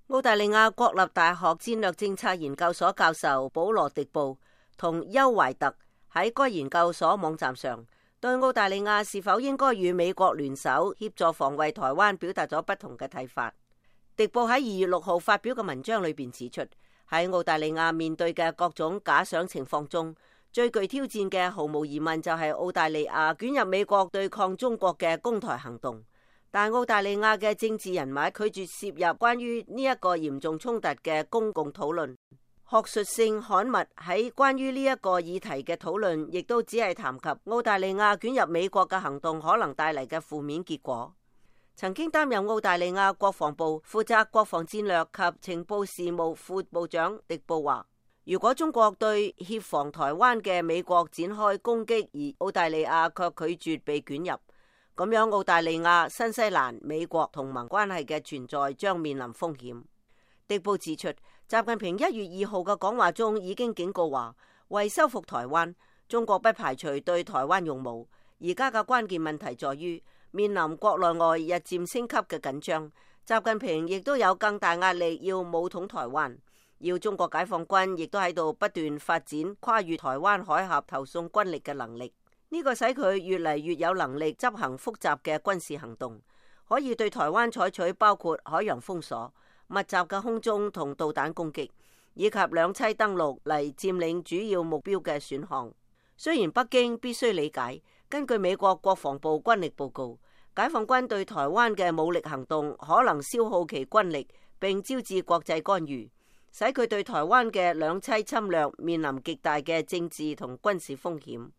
澳大利亞國立大學戰略政策研究所教授保羅·迪布同邱懷特喺該研究所網站上對澳大利亞是否應該與美國聯手協助防衛台灣表達咗不同嘅睇法。迪布喺2月6號發表嘅文章裏邊指出，喺澳大利亞面對嘅各種假想情況中，最具挑戰嘅毫無疑問就係澳大利亞捲入美國對抗中國嘅攻台行動。但澳大利亞嘅政治人物拒絕涉入關於呢一個嚴重衝突嘅公共討論，學術性刊物喺關於呢一個議題嘅討論，亦都只係談及澳大利亞捲入美國嘅行動可能帶嚟嘅負面結果。曾經擔任澳大利亞國防部負責國防戰略及情報事務副部長迪布話，如果中國對協防台灣嘅美國展開攻擊，而澳大利亞卻拒絕被捲入，咁樣澳大利亞、新西蘭、美國同盟關係嘅存在將面臨風險。迪布指出，習近平1月2號嘅講話中已經警告話，為收復台灣，中國不排除對台灣用武。而家嘅關鍵問題在於，面臨國內外日漸升級嘅緊張，習近平亦都有更大壓力要武統台灣，要中國解放軍亦都喺度不斷發展跨越台灣海峽投送軍力嘅能力。呢個使佢越嚟越有能力執行複雜嘅軍事行動，可以對台灣採取包括海洋封鎖、密集嘅空中同導彈攻擊，以及兩棲登陸嚟佔領主要目標嘅選項。雖然北京必須理解，根據美國國防部軍力報告，解放軍對台灣嘅武力行動可能消耗其軍力，並招致國際干預，使佢對台灣嘅兩棲侵略面臨極大嘅政治同軍事風險。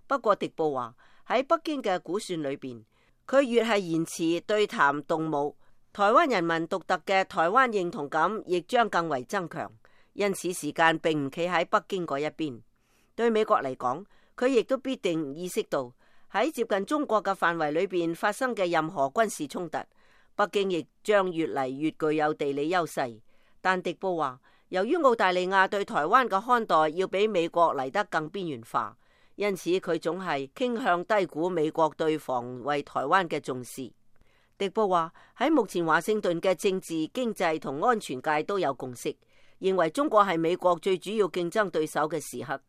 不過迪布話，喺北京嘅估算裏邊，佢越係延遲對談動武，台灣人民獨特嘅台灣認同感亦將更為增強，因此時間並唔企喺北京嗰一邊。對美國嚟講，佢亦都必定意識到喺接近中國嘅範圍裏邊發生嘅任何軍事衝突，北京亦將越嚟越具有地理優勢。但迪布話，由於澳大利亞對台灣嘅看待要比美國嚟得更邊緣化，因此佢總係傾向低估美國對防衛台灣嘅重視。迪布話，喺目前華盛頓嘅政治、經濟同安全界都有共識，認為中國係美國最主要競爭對手嘅時刻。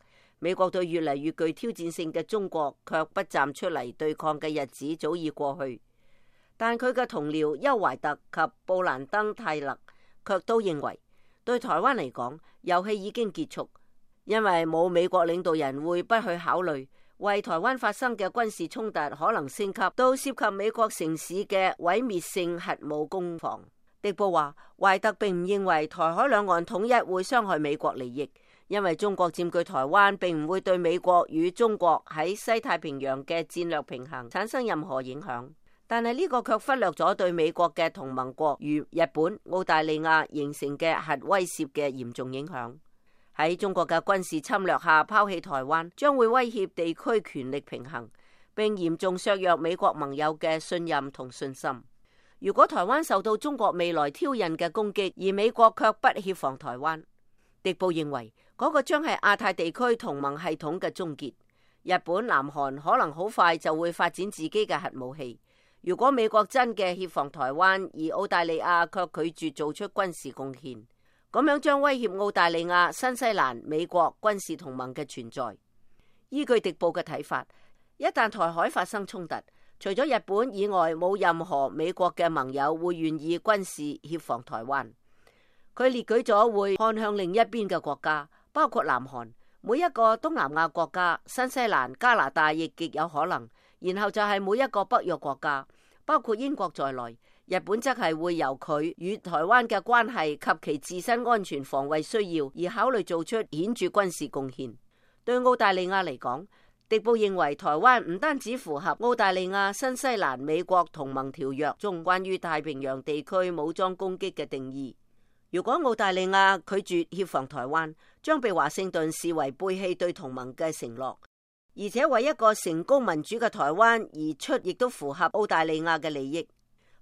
美國對越嚟越具挑戰性嘅中國卻不站出嚟對抗嘅日子早已過去。但佢嘅同僚邱懷特及布蘭登泰勒卻都認為，對台灣嚟講，遊戲已經結束。因為冇美國領導人會不去考慮為台灣發生嘅軍事衝突可能升級到涉及美國城市嘅毀滅性核武攻防。迪布話，懷特並唔認為台海兩岸統一會傷害美國利益，因為中國佔據台灣並唔會對美國與中國喺西太平洋嘅戰略平衡產生任何影響。但係呢個卻忽略咗對美國嘅同盟國如日本、澳大利亞形成嘅核威懾嘅嚴重影響。喺中國嘅軍事侵略下拋棄台灣，將會威脅地區權力平衡，並嚴重削弱美國盟友嘅信任同信心。如果台灣受到中國未來挑釁嘅攻擊，而美國卻不協防台灣，迪布認為嗰個將係亞太地區同盟系統嘅終結。日本、南韓可能好快就會發展自己嘅核武器。如果美國真嘅協防台灣，而澳大利亞卻拒絕做出軍事貢獻，咁樣將威脅澳大利亞、新西蘭、美國軍事同盟嘅存在。依據迪布嘅睇法，一旦台海發生衝突，除咗日本以外，冇任何美國嘅盟友會願意軍事協防台灣。佢列舉咗會看向另一邊嘅國家，包括南韓、每一個東南亞國家、新西蘭、加拿大亦極有可能，然後就係每一個北約國家，包括英國在內。日本則係會由佢與台灣嘅關係及其自身安全防衛需要而考慮做出顯著軍事貢獻。對澳大利亞嚟講，迪布認為台灣唔單止符合澳大利亞、新西蘭、美國同盟條約中關於太平洋地區武裝攻擊嘅定義。如果澳大利亞拒絕協防台灣，將被華盛頓視為背棄對同盟嘅承諾，而且為一個成功民主嘅台灣而出，亦都符合澳大利亞嘅利益。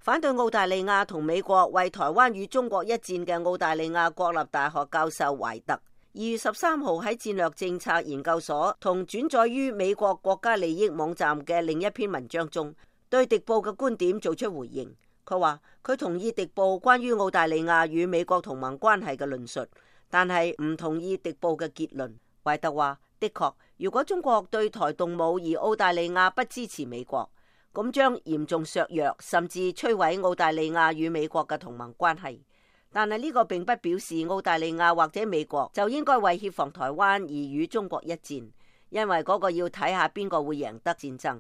反對澳大利亞同美國為台灣與中國一戰嘅澳大利亞國立大學教授懷特2月13號喺戰略政策研究所同轉載於美國國家利益網站嘅另一篇文章中，對迪布嘅觀點做出回應。佢話佢同意迪布關於澳大利亞與美國同盟關係嘅論述，但係唔同意迪布嘅結論。懷特話：的確，如果中國對台動武而澳大利亞不支持美國，咁將嚴重削弱甚至摧毀澳大利亞與美國嘅同盟關係。但係呢個並不表示澳大利亞或者美國就應該為協防台灣而與中國一戰，因為嗰個要睇下邊個會贏得戰爭。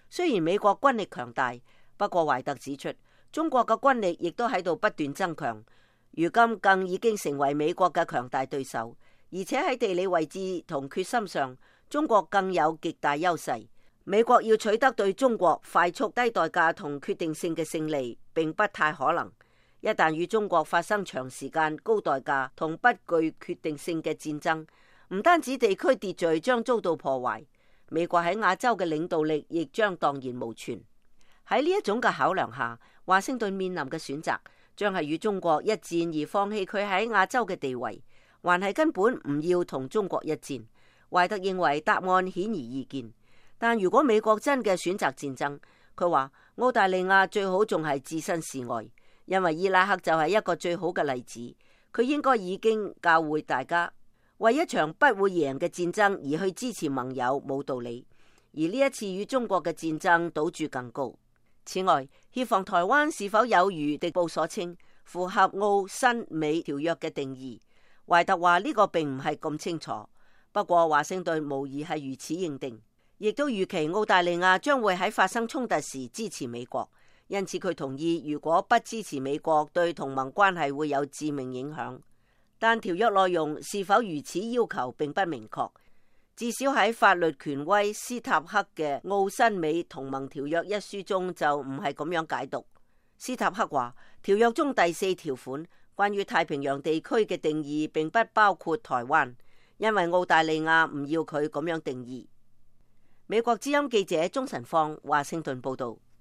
雖然美國軍力強大，不過懷特指出，中國嘅軍力亦都喺度不斷增強，如今更已經成為美國嘅強大對手，而且喺地理位置同決心上，中國更有極大優勢。美國要取得對中國快速、低代價同決定性嘅勝利，並不太可能。一旦與中國發生長時間、高代價同不具決定性嘅戰爭，唔單止地區秩序將遭到破壞，美國喺亞洲嘅領導力亦將蕩然無存。喺呢一種嘅考量下，華盛頓面臨嘅選擇將係與中國一戰而放棄佢喺亞洲嘅地位，還係根本唔要同中國一戰。懷特認為答案顯而易見，但如果美國真嘅選擇戰爭，佢話澳大利亞最好仲係置身事外。因為伊拉克就係一個最好嘅例子，佢應該已經教會大家，為一場不會贏嘅戰爭而去支持盟友冇道理，而呢一次與中國嘅戰爭賭注更高。此外，協防台灣是否有如迪布所稱符合澳新美條約嘅定義，懷特話呢個並唔係咁清楚，不過華盛頓無疑係如此認定，亦都預期澳大利亞將會喺發生衝突時支持美國。因此佢同意，如果不支持美國，對同盟關係會有致命影響。但條約內容是否如此要求並不明確，至少喺法律權威斯塔克嘅《澳新美同盟條約》一書中就唔係咁樣解讀。斯塔克話，條約中第4條款關於太平洋地區嘅定義並不包括台灣，因為澳大利亞唔要佢咁樣定義。美國之音記者鍾晨放華盛頓報道。